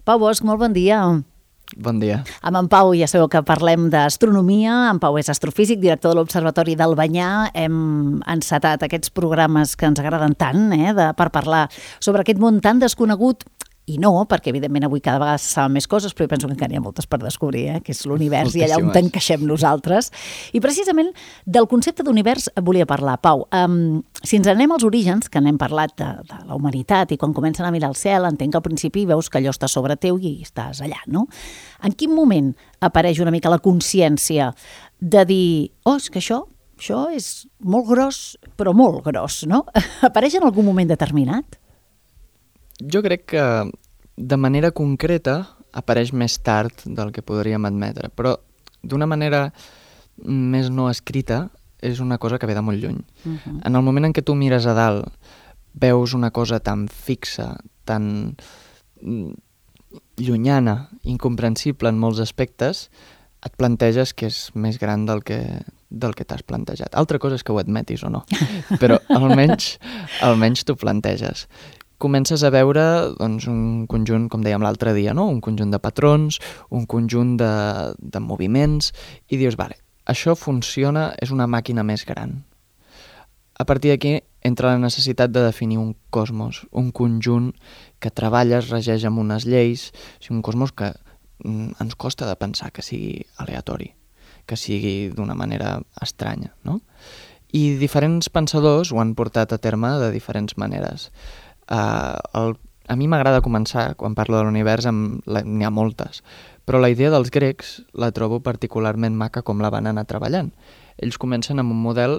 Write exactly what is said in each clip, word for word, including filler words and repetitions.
Pau Bosch, molt bon dia. Bon dia. Amb en Pau ja sabeu que parlem d'astronomia. En Pau és astrofísic, director de l'Observatori d'Albanyà. Hem encetat aquests programes que ens agraden tant, eh, de, per parlar sobre aquest món tan desconegut. I no, perquè evidentment avui cada vegada se saben més coses, però jo penso que encara hi ha moltes per descobrir, eh? Que és l'univers i allà on t'encaixem nosaltres. I precisament del concepte d'univers volia parlar. Pau, um, si ens anem als orígens, que n'hem parlat de, de la humanitat, i quan comencen a mirar el cel, entenc que al principi veus que allò està sobre teu i estàs allà, no? En quin moment apareix una mica la consciència de dir, oh, és que això, això és molt gros, però molt gros, no? Apareix en algun moment determinat? Jo crec que de manera concreta apareix més tard del que podríem admetre, però d'una manera més no escrita és una cosa que ve de molt lluny. Uh-huh. En el moment en què tu mires a dalt, veus una cosa tan fixa, tan llunyana, incomprensible en molts aspectes, et planteges que és més gran del que, del que t'has plantejat. Altra cosa és que ho admetis o no, però almenys, almenys t'ho planteges. Comences a veure doncs, un conjunt, com dèiem l'altre dia, no? Un conjunt de patrons, un conjunt de, de moviments, i dius, vale, això funciona, és una màquina més gran. A partir d'aquí entra la necessitat de definir un cosmos, un conjunt que treballa, es regeix amb unes lleis, un cosmos que mm, ens costa de pensar que sigui aleatori, que sigui d'una manera estranya, no? I diferents pensadors ho han portat a terme de diferents maneres. Uh, el, a mi m'agrada començar, quan parlo de l'univers, n'hi ha moltes, però la idea dels grecs la trobo particularment maca com la van anar treballant. Ells comencen amb un model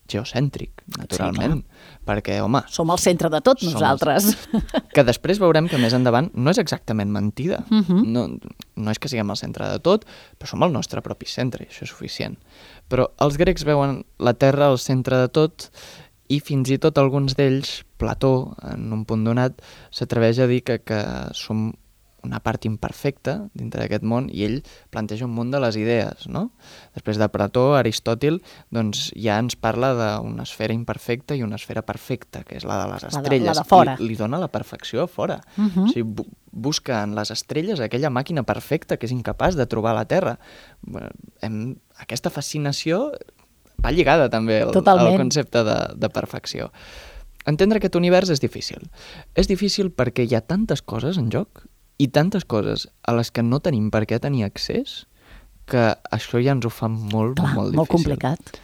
geocèntric, naturalment, sí, perquè, home... Som al centre de tot, nosaltres. Els... Que després veurem que més endavant no és exactament mentida. Uh-huh. No, no és que siguem al centre de tot, però som el nostre propi centre, i això és suficient. Però els grecs veuen la Terra al centre de tot, i fins i tot alguns d'ells, Plató, en un punt donat, s'atreveix a dir que, que som una part imperfecta dintre d'aquest món, i ell planteja un munt de les idees, no? Després de Plató, Aristòtil, doncs ja ens parla d'una esfera imperfecta i una esfera perfecta, que és la de les estrelles. La de, la de fora. I li dona la perfecció a fora. Uh-huh. O sigui, bu busca en les estrelles aquella màquina perfecta que és incapaç de trobar a la Terra. Hem, aquesta fascinació va lligada també al, al concepte de, de perfecció. Entendre aquest univers és difícil. És difícil perquè hi ha tantes coses en joc i tantes coses a les que no tenim per què tenir accés que això ja ens ho fa molt, Clar, molt difícil. Molt complicat.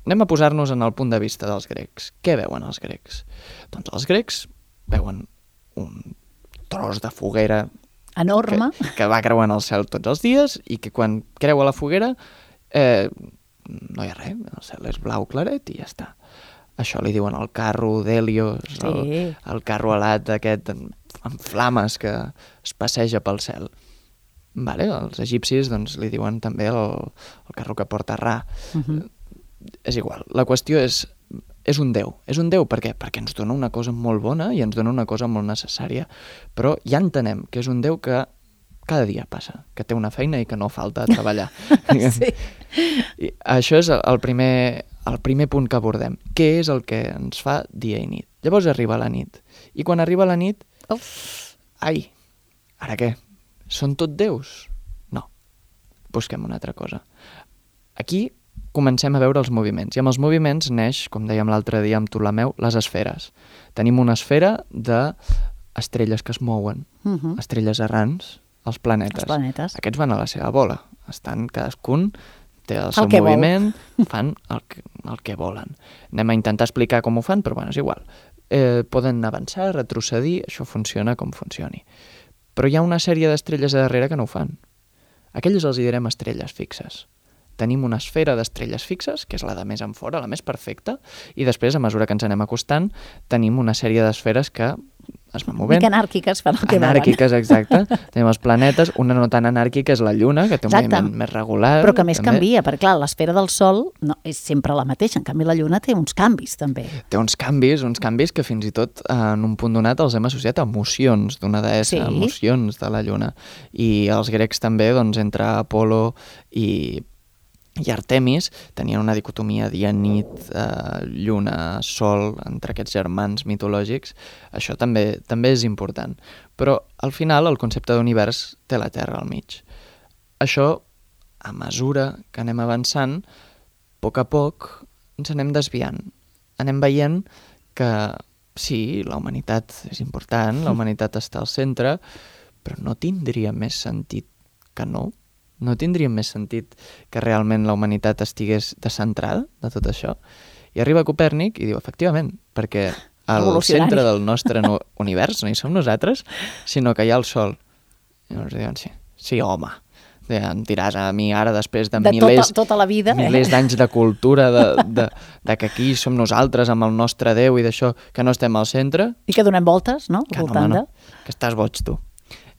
Anem a posar-nos en el punt de vista dels grecs. Què veuen els grecs? Doncs els grecs veuen un tros de foguera enorme que, que va creuant el cel tots els dies i que quan creua la foguera eh, no hi ha res, el cel és blau claret i ja està. Això li diuen el carro d'Helios, sí. el, el carro alat aquest amb flames que es passeja pel cel. Vale, els egipcis doncs, li diuen també el, el carro que porta Ra. Uh-huh. És igual, la qüestió és, és un déu. És un déu per què? Perquè ens dona una cosa molt bona i ens dona una cosa molt necessària. Però ja entenem que és un déu que cada dia passa, que té una feina i que no falta a treballar. Sí. I això és el primer, el primer punt que abordem. Què és el que ens fa dia i nit? Llavors arriba la nit. I quan arriba la nit... Oh. Ai, ara què? Són tot déus? No. Busquem una altra cosa. Aquí comencem a veure els moviments. I amb els moviments neix, com dèiem l'altre dia amb Ptolemeu, les esferes. Tenim una esfera d'estrelles que es mouen, uh-huh. estrelles errants, els planetes. Els planetes. Aquests van a la seva bola. Estan, cadascun té el seu el moviment, vol. fan el que, el que volen. Anem a intentar explicar com ho fan, però bueno, és igual. Eh, poden avançar, retrocedir, això funciona com funcioni. Però hi ha una sèrie d'estrelles a darrere que no ho fan. Aquelles els hi direm estrelles fixes. Tenim una esfera d'estrelles fixes, que és la de més enfora, la més perfecta, i després, a mesura que ens anem acostant, tenim una sèrie d'esferes que es van movent. Mica anàrquiques, fan el que volen. Anàrquiques, exacte. Tenim els planetes, una no tan anàrquica és la Lluna, que té un exacte. moviment més regular. Però que més també. canvia, perquè clar, l'esfera del Sol no, és sempre la mateixa, en canvi la Lluna té uns canvis també. Té uns canvis, uns canvis que fins i tot en un punt donat els hem associat a emocions d'una deessa, sí. emocions de la Lluna. I els grecs també, doncs, entre Apolo i i Artemis tenien una dicotomia dia-nit, eh, lluna, sol, entre aquests germans mitològics. Això també també és important. Però al final el concepte d'univers té la Terra al mig. Això, a mesura que anem avançant, a poc a poc ens anem desviant. Anem veient que sí, la humanitat és important, la humanitat està al centre, però no tindria més sentit que no. No tindria més sentit que realment la humanitat estigués descentrada de tot això? I arriba Copèrnic i diu, efectivament, perquè al centre del nostre no, univers no hi som nosaltres, sinó que hi ha el Sol. I llavors diuen, sí, sí, home, em diràs a mi ara després de, de milers, tota, tota la vida, milers eh? d'anys de cultura, de, de, de que aquí som nosaltres amb el nostre Déu i d'això, que no estem al centre. I que donem voltes, no? Que no, home, no, que estàs boig tu.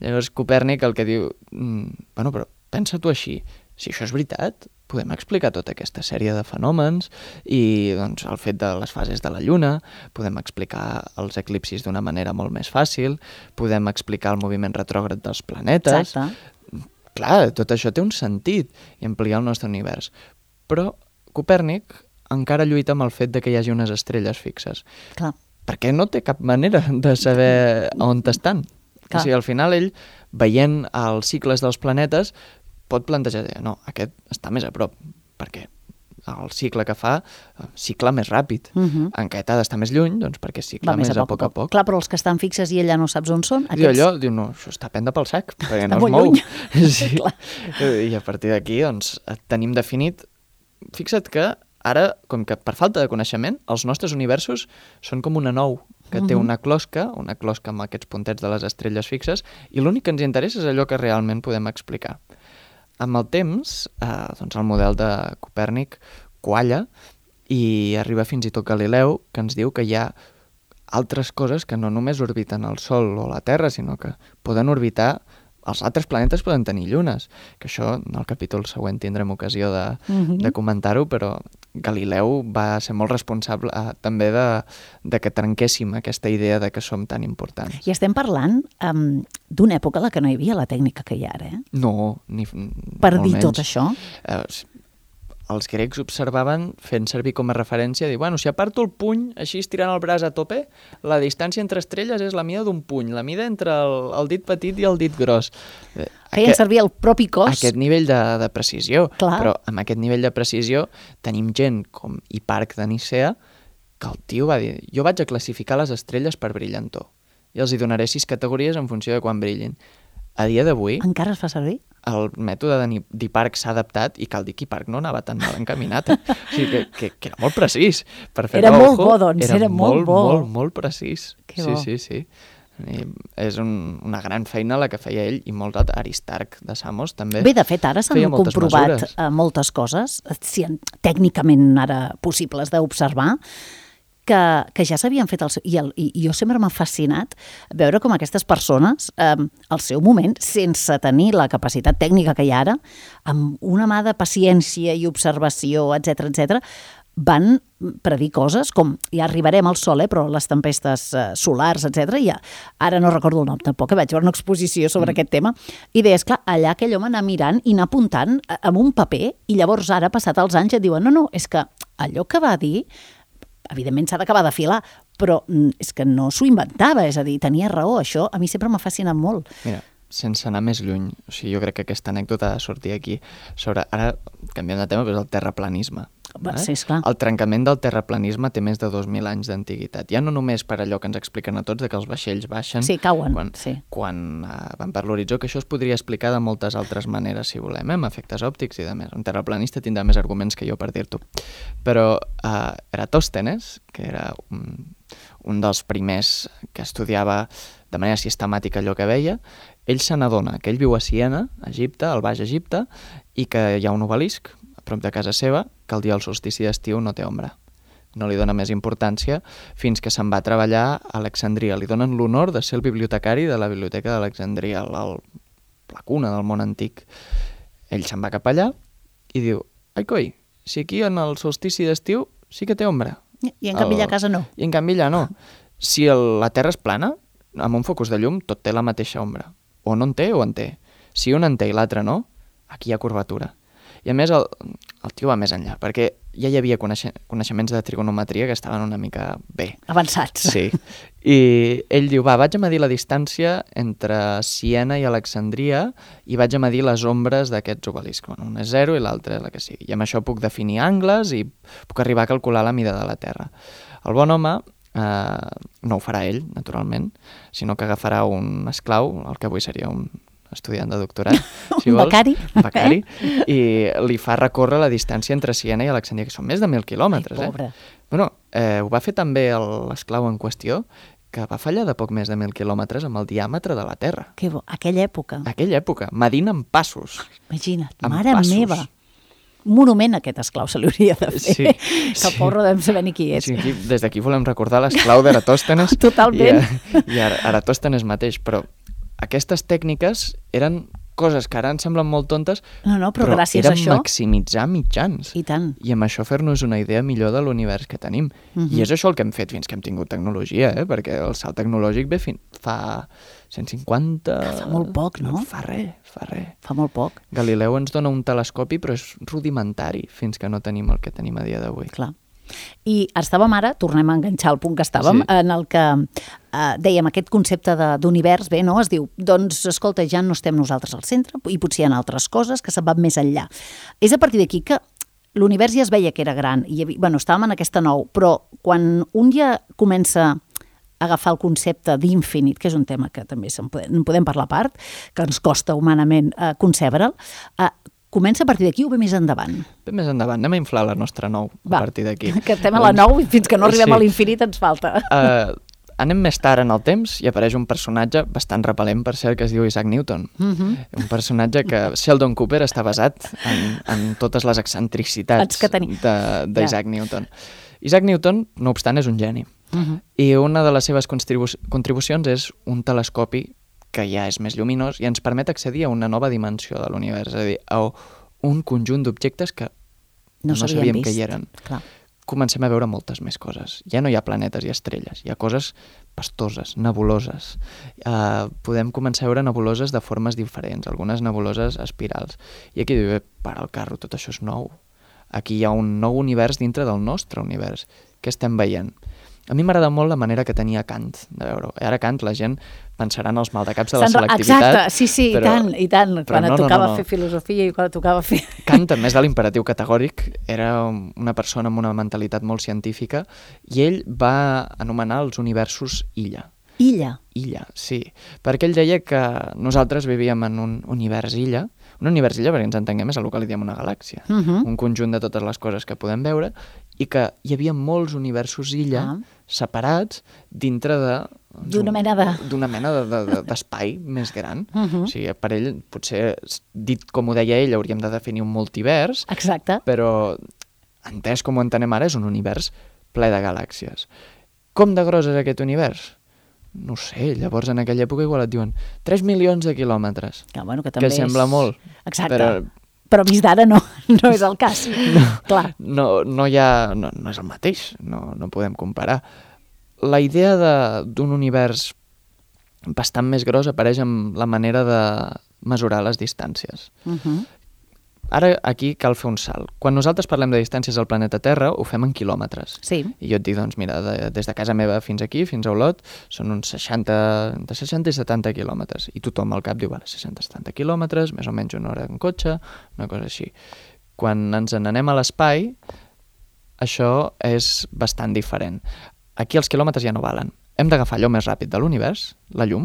Llavors Copèrnic el que diu, mm, bueno, però pensa tu així, si això és veritat, podem explicar tota aquesta sèrie de fenòmens i doncs, el fet de les fases de la Lluna, podem explicar els eclipsis d'una manera molt més fàcil, podem explicar el moviment retrògrad dels planetes. Exacte. Clar, tot això té un sentit i ampliar el nostre univers. Però Copèrnic encara lluita amb el fet de que hi hagi unes estrelles fixes. Clar. Perquè no té cap manera de saber on estan. Clar. O sigui, al final ell, veient els cicles dels planetes, pot plantejar, no, aquest està més a prop, perquè el cicle que fa, cicle més ràpid. Uh -huh. En aquest ha d'estar més lluny, doncs perquè cicle més a poc a poc. Clar, però els que estan fixes i ella no saps on són... Aquests... I allò, diu, no, això està a prendre pel sac, perquè no es mou. Sí. I a partir d'aquí, doncs, tenim definit... Fixa't que ara, com que per falta de coneixement, els nostres universos són com una nou, que té una closca, una closca amb aquests puntets de les estrelles fixes, i l'únic que ens interessa és allò que realment podem explicar. Amb el temps, eh, doncs el model de Copèrnic qualla i arriba fins i tot Galileu, que ens diu que hi ha altres coses que no només orbiten el Sol o la Terra, sinó que poden orbitar, els altres planetes poden tenir llunes, que això en el capítol següent tindrem ocasió de, uh-huh. de comentar-ho, però Galileu va ser molt responsable eh, també de, de que trenquéssim aquesta idea de que som tan importants. I estem parlant um, d'una època en la que no hi havia la tècnica que hi ha ara, eh? No, ni per dir menys. tot això? Eh, els grecs observaven fent servir com a referència, dir, bueno, si aparto el puny, així estirant el braç a tope, la distància entre estrelles és la mida d'un puny, la mida entre el, el dit petit i el dit gros. Feien servir el propi cos. Aquest nivell de, de precisió. Clar. Però amb aquest nivell de precisió tenim gent com Hiparc de Nicea, que el tio va dir, jo vaig a classificar les estrelles per brillantor i els hi donaré sis categories en funció de quan brillin. A dia d'avui... Encara es fa servir? El mètode d'Hiparc s'ha adaptat i cal dir que Hiparc no anava tan mal encaminat. Eh? O sigui que, que, que era molt precís. Per fer era molt ojo, bo, doncs. Era, era molt, molt bo. Molt, molt, molt precís. Que sí, bo. sí, sí. I és un, una gran feina la que feia ell i molts altres. Aristarc de Samos també. Bé, de fet, ara s'han moltes comprovat mesures. moltes coses, si tècnicament ara possibles d'observar, que, que ja s'havien fet el seu... I, el, i jo sempre m'ha fascinat veure com aquestes persones, eh, al seu moment, sense tenir la capacitat tècnica que hi ha ara, amb una mà de paciència i observació, etcètera, etcètera, van predir coses com, ja arribarem al Sol, eh, però les tempestes eh, solars, etcètera, ja, ara no recordo el nom tampoc, que vaig veure una exposició sobre mm. aquest tema, i deies, clar, allà aquell home anar mirant i anar apuntant amb un paper, i llavors ara, passat els anys, et diuen, no, no, és que allò que va dir, evidentment s'ha d'acabar d'afilar, però és que no s'ho inventava, és a dir, tenia raó, això a mi sempre m'ha fascinat molt. Mira, sense anar més lluny, o sigui, jo crec que aquesta anècdota ha de sortir aquí, sobre, ara canviem de tema, però és el terraplanisme. Va, sí, esclar. El trencament del terraplanisme té més de dos mil anys d'antiguitat. Ja no només per allò que ens expliquen a tots, de que els vaixells baixen sí, cauen, quan, sí. quan uh, van per l'horitzó, que això es podria explicar de moltes altres maneres, si volem, eh? Amb efectes òptics i de més. Un terraplanista tindrà més arguments que jo per dir-t'ho. Però uh, Eratòstenes, que era un, un dels primers que estudiava de manera sistemàtica allò que veia, ell se n'adona que ell viu a Siena, a Egipte, al Baix Egipte, i que hi ha un obelisc a prop de casa seva, que el dia del solstici d'estiu no té ombra. No li dona més importància fins que se'n va a treballar a Alexandria. Li donen l'honor de ser el bibliotecari de la Biblioteca d'Alexandria, la cuna del món antic. Ell se'n va cap allà i diu, ai coi, si aquí en el solstici d'estiu sí que té ombra. I en canvi allà a casa no. I en canvi allà no. Si el, la Terra és plana, amb un focus de llum tot té la mateixa ombra. O no en té o en té. Si un en té i l'altre no, aquí hi ha curvatura. I a més el, el tio va més enllà, perquè ja hi havia coneixe, coneixements de trigonometria que estaven una mica bé. Avançats. Sí. I ell diu, va, vaig a medir la distància entre Siena i Alexandria i vaig a medir les ombres d'aquests obeliscs. Bueno, un és zero i l'altre és la que sigui. I amb això puc definir angles i puc arribar a calcular la mida de la Terra. El bon home eh, no ho farà ell, naturalment, sinó que agafarà un esclau, el que avui seria un estudiant de doctorat, si un vols. becari. Un becari. I li fa recórrer la distància entre Siena i Alexandria, que són més de mil quilòmetres. Ai, pobre. Eh? Bueno, eh, ho va fer també l'esclau en qüestió, que va fallar de poc més de mil quilòmetres amb el diàmetre de la Terra. Que bo, aquella època. Aquella època, medint en passos. Imagina't, En mare passos. meva. Un monument a aquest esclau se li hauria de fer. Sí, que sí. porro devem saber ni qui és. Sí, aquí, des d'aquí volem recordar l'esclau d'Eratòstenes. Totalment. I, i Eratòstenes mateix, però aquestes tècniques eren coses que ara ens semblen molt tontes, No, no, però, però gràcies era a això... maximitzar mitjans. I tant. I amb això fer-nos una idea millor de l'univers que tenim. Mhm. I és això el que hem fet fins que hem tingut tecnologia, eh? Perquè el salt tecnològic ve fin... fa cent cinquanta... Ah, fa molt poc, no? Fa res, fa res. Fa molt poc, Galileu ens dona un telescopi, però és rudimentari fins que no tenim el que tenim a dia d'avui. clar. I estàvem ara, tornem a enganxar el punt que estàvem, Sí. en el que eh, dèiem aquest concepte de- d'univers, bé, no? Es diu, doncs, escolta, ja no estem nosaltres al centre i potser hi ha altres coses que se'n van més enllà. És a partir d'aquí que l'univers ja es veia que era gran, i hi havia, bueno, estàvem en aquesta nou, però quan un ja comença a agafar el concepte d'infinit, que és un tema que també se'n podem, en podem parlar a part, que ens costa humanament eh, concebre'l, eh, comença a partir d'aquí o ve més endavant? Bé, més endavant, anem a inflar la nostra nou a Va, partir d'aquí. que estem a la nou i fins que no arribem Sí. a l'infinit ens falta. Uh, anem més tard en el temps i apareix un personatge bastant repel·lent, per cert, que es diu Isaac Newton. Mhm. Un personatge que Sheldon Cooper està basat en, en totes les excentricitats Que tenim. de- d'Isaac Newton. Isaac Newton, no obstant, és un geni. Mhm. I una de les seves contribu contribucions és un telescopi que ja és més lluminós i ens permet accedir a una nova dimensió de l'univers, és a dir, a un conjunt d'objectes que No no, s'havien sabíem vist. que hi eren. Clar. Comencem a veure moltes més coses. Ja no hi ha planetes i estrelles, hi ha coses pastoses, nebuloses. Uh, podem començar a veure nebuloses de formes diferents, algunes nebuloses espirals. I aquí diu, para el carro, tot això és nou. Aquí hi ha un nou univers dintre del nostre univers. Què estem veient? A mi m'agrada molt la manera que tenia Kant de veure-ho. Ara Kant, la gent pensarà en els maldecaps de la Sandra, selectivitat. exacte, sí, sí, però, i tant, i tant. però Quan no, et no, tocava no, no. fer filosofia i quan et tocava fer... Kant, a més de l'imperatiu categòric, era una persona amb una mentalitat molt científica i ell va anomenar els universos illa. Illa. Illa, sí. Perquè ell deia que nosaltres vivíem en un univers illa. Un univers illa, perquè ens entenguem, és el que li diem una galàxia. Uh -huh. Un conjunt de totes les coses que podem veure i que hi havia molts universos illa Ah. separats dintre de... D'una mena de- D'una mena de- de- de- d'espai més gran. Uh -huh. O sigui, per ell, potser, dit com ho deia ell, hauríem de definir un multivers, Exacte. però entès com ho entenem ara, és un univers ple de galàxies. Com de gros és aquest univers? No ho sé, llavors en aquella època igual et diuen tres milions de quilòmetres, Que, bueno, que, que també sembla és... molt, Exacte. però Però vist d'ara no, no és el cas. No. Clar. no, no hi ha... No, no és el mateix, no, no podem comparar. La idea d'un univers bastant més gros apareix amb la manera de mesurar les distàncies. Uh -huh. Ara aquí cal fer un salt. Quan nosaltres parlem de distàncies al planeta Terra, ho fem en quilòmetres. Sí. I jo et dic, doncs mira, de, des de casa meva fins aquí, fins a Olot, són uns seixanta, entre seixanta i setanta quilòmetres. I tothom al cap diu, vale, seixanta setanta quilòmetres, més o menys una hora en cotxe, una cosa així. Quan ens n'anem a l'espai, això és bastant diferent. Aquí els quilòmetres ja no valen. Hem d'agafar allò més ràpid de l'univers, la llum,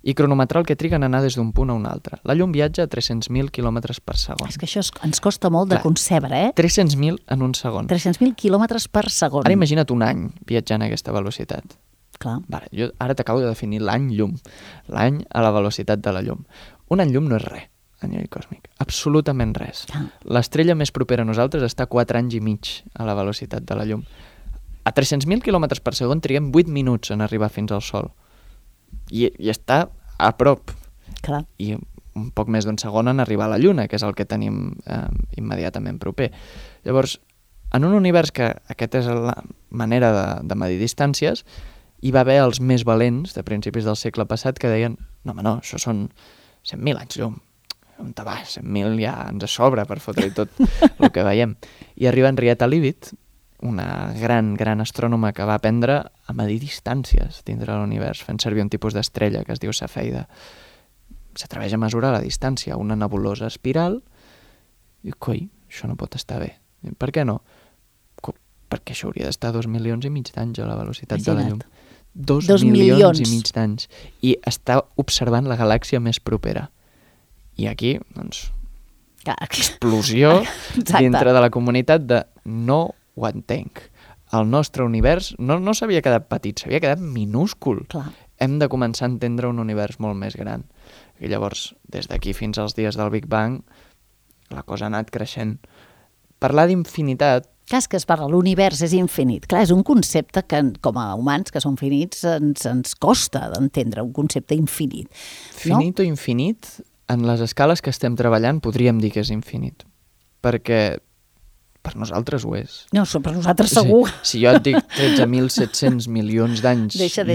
i cronometrar el que triga en anar des d'un punt a un altre. La llum viatja a tres-cents mil quilòmetres per segon. És que això es, ens costa molt de Clar. concebre, eh? tres-cents mil en un segon. tres-cents mil quilòmetres per segon. Ara imagina't un any viatjant a aquesta velocitat. Clar. Vale, jo ara t'acabo de definir l'any llum. L'any a la velocitat de la llum. Un any llum no és res a nivell còsmic. Absolutament res. Ah. L'estrella més propera a nosaltres està a quatre anys i mig a la velocitat de la llum. A tres-cents mil quilòmetres per segon triguem vuit minuts en arribar fins al Sol. I, i està a prop. Clar. I un poc més d'un segon en arribar a la Lluna, que és el que tenim eh, immediatament proper. Llavors, en un univers que aquesta és la manera de, de medir distàncies, hi va haver els més valents de principis del segle passat que deien no, home, no, això són cent mil anys llum. on te vas, cent mil ja ens sobra per fotre-hi tot el que veiem. I arriba Henrietta Leavitt, una gran, gran astrònoma que va aprendre a medir distàncies dintre de l'univers, fent servir un tipus d'estrella que es diu Cefeida. S'atreveix a mesurar la distància a una nebulosa espiral i, coi, això no pot estar bé. Per què no? Co perquè això hauria d'estar dos milions i mig d'anys a la velocitat de la llum. Dos, dos milions, milions i mig d'anys. I està observant la galàxia més propera. I aquí, doncs, explosió dintre de la comunitat de no ho entenc. El nostre univers no, no s'havia quedat petit, s'havia quedat minúscul. Clar. Hem de començar a entendre un univers molt més gran. I llavors, des d'aquí fins als dies del Big Bang, la cosa ha anat creixent. Parlar d'infinitat... Clar, és que es parla, l'univers és infinit. Clar, és un concepte que, com a humans que som finits, ens, ens costa d'entendre, un concepte infinit. No? Finit o infinit, en les escales que estem treballant, podríem dir que és infinit. Perquè per nosaltres ho és. No, per nosaltres segur. O sigui, si jo et dic tretze mil set-cents milions d'anys llum, deixa,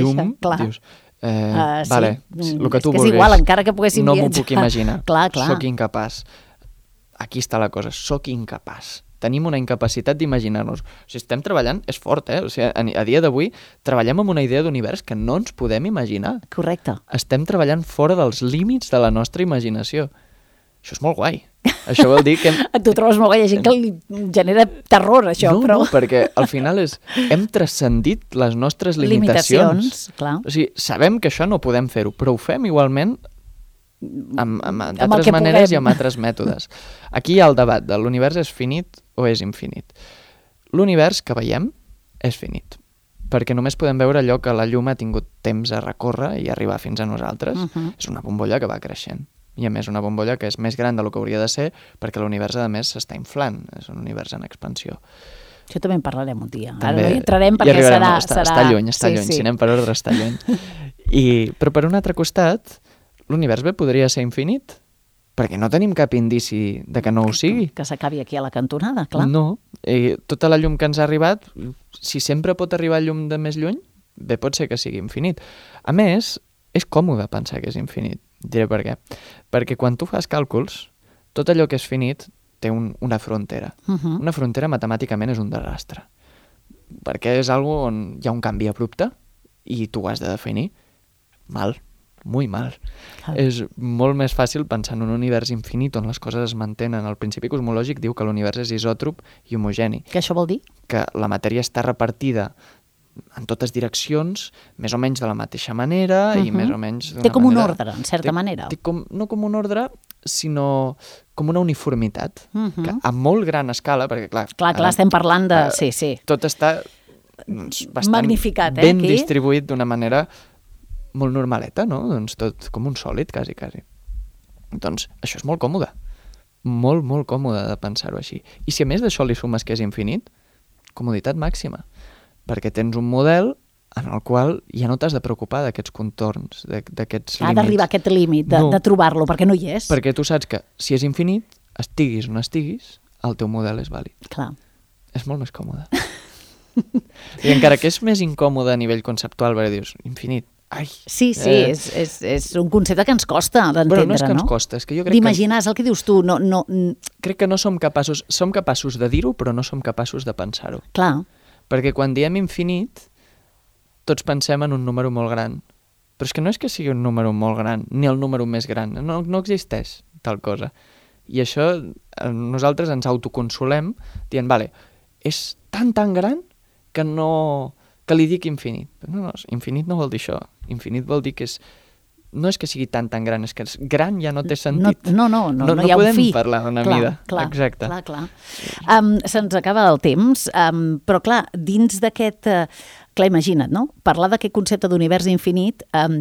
clar. dius... Eh, uh, sí. Vale, el que tu és vulguis. És igual, encara que poguéssim no viatjar. m'ho puc imaginar. Clar, clar. Soc incapaç. Aquí està la cosa, soc incapaç. Tenim una incapacitat d'imaginar-nos. O sigui, estem treballant, és fort, eh? O sigui, a, a dia d'avui treballem amb una idea d'univers que no ens podem imaginar. Correcte. Estem treballant fora dels límits de la nostra imaginació. Això és molt guai. Això vol dir que... Hem... Tu trobes molt guai, hi ha gent que li genera terror, això, no, però... No, perquè al final és... Hem transcendit les nostres limitacions. Limitacions, clar. O sigui, sabem que això no podem fer-ho, però ho fem igualment amb, amb, amb d'altres maneres puguem. I amb altres mètodes. Aquí hi ha el debat de l'univers és finit o és infinit. L'univers que veiem és finit, perquè només podem veure allò que la llum ha tingut temps a recórrer i arribar fins a nosaltres. Uh -huh. És una bombolla que va creixent. I a més una bombolla que és més gran del que hauria de ser perquè l'univers, a més, s'està inflant. És un univers en expansió. Això també en parlarem un dia. També, Ara no hi entrarem perquè serà... No, està, serà... està lluny, està sí, lluny. Sí. Si anem per ordre, està lluny. I, però per un altre costat, l'univers bé podria ser infinit, perquè no tenim cap indici de que no ho sigui. Que s'acabi aquí a la cantonada, clar. No. I tota la llum que ens ha arribat, si sempre pot arribar llum de més lluny, bé pot ser que sigui infinit. A més, és còmode pensar que és infinit. Diré per què. Perquè quan tu fas càlculs, tot allò que és finit té un, una frontera. Uh -huh. Una frontera matemàticament és un desastre. Perquè és algo on hi ha un canvi abrupte i tu ho has de definir. Mal, muy mal. Ah. És molt més fàcil pensar en un univers infinit on les coses es mantenen. El principi cosmològic diu que l'univers és isòtrop i homogeni. Què això vol dir? Que la matèria està repartida en totes direccions, més o menys de la mateixa manera uh -huh. i més o menys d'una manera... Té com un ordre, en certa té, manera. Té com, no com un ordre, sinó com una uniformitat, uh -huh. que a molt gran escala, perquè clar... Clar, clar, ara, estem parlant de... Uh, sí, sí. Tot està doncs, bastant magnificat, eh, ben aquí? distribuït d'una manera molt normaleta, no? Doncs tot com un sòlid, quasi, quasi. Doncs això és molt còmode. Molt, molt còmode de pensar-ho així. I si a més d'això li sumes que és infinit, comoditat màxima. Perquè tens un model en el qual ja no t'has de preocupar d'aquests contorns, d'aquests límits. Ha d'arribar a aquest límit, de, no, de trobar-lo, perquè no hi és. Perquè tu saps que si és infinit, estiguis on estiguis, el teu model és vàlid. Clar. És molt més còmode. I encara que és més incòmode a nivell conceptual, perquè dius, infinit, ai... Sí, sí, eh... és, és, és un concepte que ens costa d'entendre, bueno, no? és que no? ens costa, és que jo crec d'imaginar, és el que dius tu, no... no... Crec que no som capaços, som capaços de dir-ho, però no som capaços de pensar-ho. Clar. Perquè quan diem infinit, tots pensem en un número molt gran. Però és que no és que sigui un número molt gran, ni el número més gran. No, no existeix tal cosa. I això nosaltres ens autoconsolem dient, vale, és tan, tan gran que no... que li dic infinit. No, no, infinit no vol dir això. Infinit vol dir que és... No és que sigui tan, tan gran, és que és gran ja no té sentit. No, no, no, no, no, no hi ha un fi. No podem parlar d'una clar, mida. Clar, exacte. Clar, clar. Um, se'ns acaba el temps, um, però clar, dins d'aquest... Uh, clar, imagina't, no? Parlar d'aquest concepte d'univers infinit um,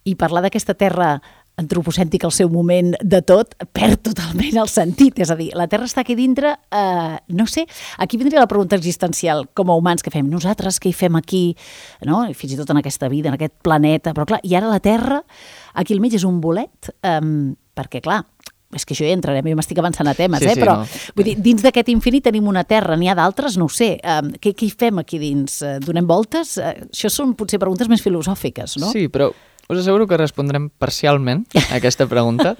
i parlar d'aquesta terra antropocèntrica al seu moment de tot, perd totalment el sentit. És a dir, la Terra està aquí dintre, eh, no sé, aquí vindria la pregunta existencial, com a humans, què fem? Nosaltres què hi fem aquí? No? I fins i tot en aquesta vida, en aquest planeta. Però clar, i ara la Terra, aquí al mig és un bolet, eh, perquè clar, és que això ja entrarem, jo m'estic avançant a temes, sí, eh? sí, però no. vull dir, dins d'aquest infinit tenim una Terra, n'hi ha d'altres, no ho sé. Eh, què, què hi fem aquí dins? Eh, donem voltes? Eh, això són potser preguntes més filosòfiques, no? Sí, però us asseguro que respondrem parcialment a aquesta pregunta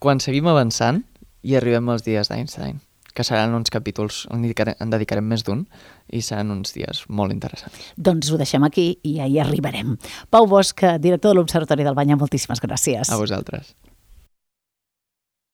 quan seguim avançant i arribem als dies d'Einstein, que seran uns capítols on dedicarem, en dedicarem més d'un i seran uns dies molt interessants. Doncs ho deixem aquí i ja hi arribarem. Pau Bosch, director de l'Observatori del Banyà, moltíssimes gràcies. A vosaltres.